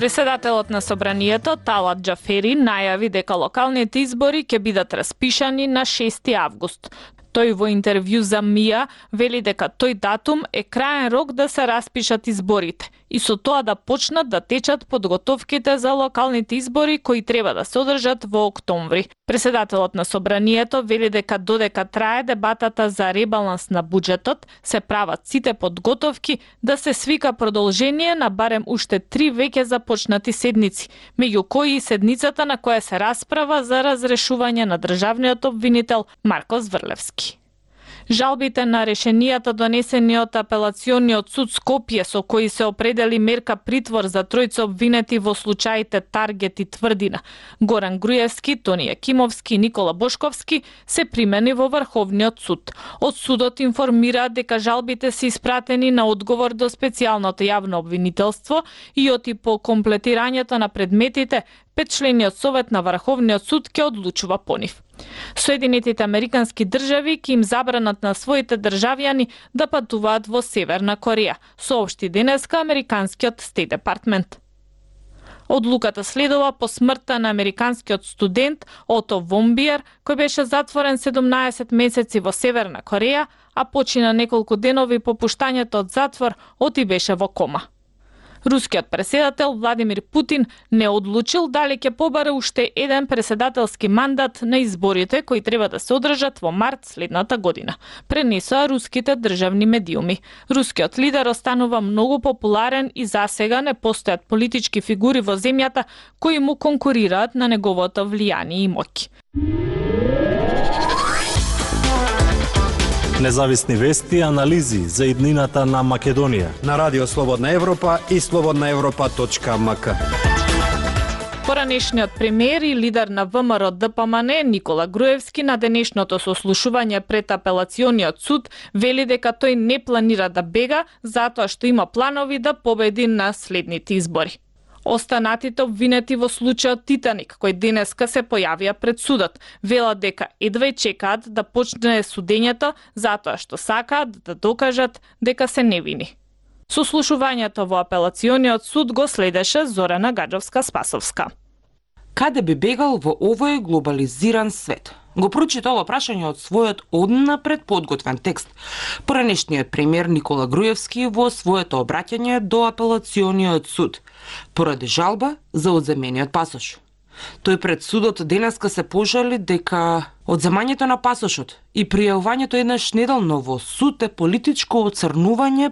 Преседателот на собранието Талат Џафери најави дека локалните избори ќе бидат распишани на 6 август. Тој во интервју за МИА вели дека тој датум е краен рок да се распишат изборите и со тоа да почнат да течат подготовките за локалните избори кои треба да се одржат во октомври. Преседателот на собранието вели дека додека трае дебатата за ребаланс на буџетот, се прават сите подготовки да се свика продолжение на барем уште 3 веќе започнати седници, меѓу кои и седницата на која се расправа за разрешување на државниот обвинител Марко Зврлевски. Жалбите на решенијата донесени од апелациониот суд Скопје со кои се определи мерка притвор за тројца обвинети во случаите Таргет и Тврдина, Горан Груевски, Тони Јакимовски и Никола Бошковски, се примени во Врховниот суд. Од судот информираат дека жалбите се испратени на одговор до специјалното јавно обвинителство и оти по комплетирањето на предметите, петчлениот совет на Врховниот суд ќе одлучува по нив. Соединетите американски држави ќе им забранат на своите државјани да патуваат во Северна Кореја, соопшти денеска американскиот Стейт Департмент. Одлуката следува по смртта на американскиот студент Ото Вомбиер, кој беше затворен 17 месеци во Северна Кореја, а почина неколку денови по пуштањето од затвор, оти беше во кома. Рускиот преседател Владимир Путин не одлучил дали ќе побаре уште еден преседателски мандат на изборите кои треба да се одржат во март следната година, пренесоа руските државни медиуми. Рускиот лидер останува многу популарен и засега не постојат политички фигури во земјата кои му конкурираат на неговото влијание и моќ. Независни вести и анализи за иднината на Македонија на Радио Слободна Европа и slobodnaevropa.mk. Поранешниот премиер и лидер на ВМРО ДПМН Никола Груевски на денешното сослушување пред апелациониот суд вели дека тој не планира да бега затоа што има планови да победи на следните избори. Останатите обвинети во случајот Титаник, кој денеска се појавија пред судот, велат дека едва чекаат да почне судењето затоа што сакаат да докажат дека се невини. Сослушувањето во апелациониот суд го следеше Зорана Гаджовска-Спасовска. Каде би бегал во овој глобализиран свет? Го прочита ова прашање од својот однапред подготвен текст. Поранешниот премиер Никола Груевски во своето обраќање до апелациониот суд поради жалба за одземениот пасош. Тој пред судот денеска се пожали дека одземањето на пасошот и пријавувањето еднаш неделно во суд е политичко оцрнување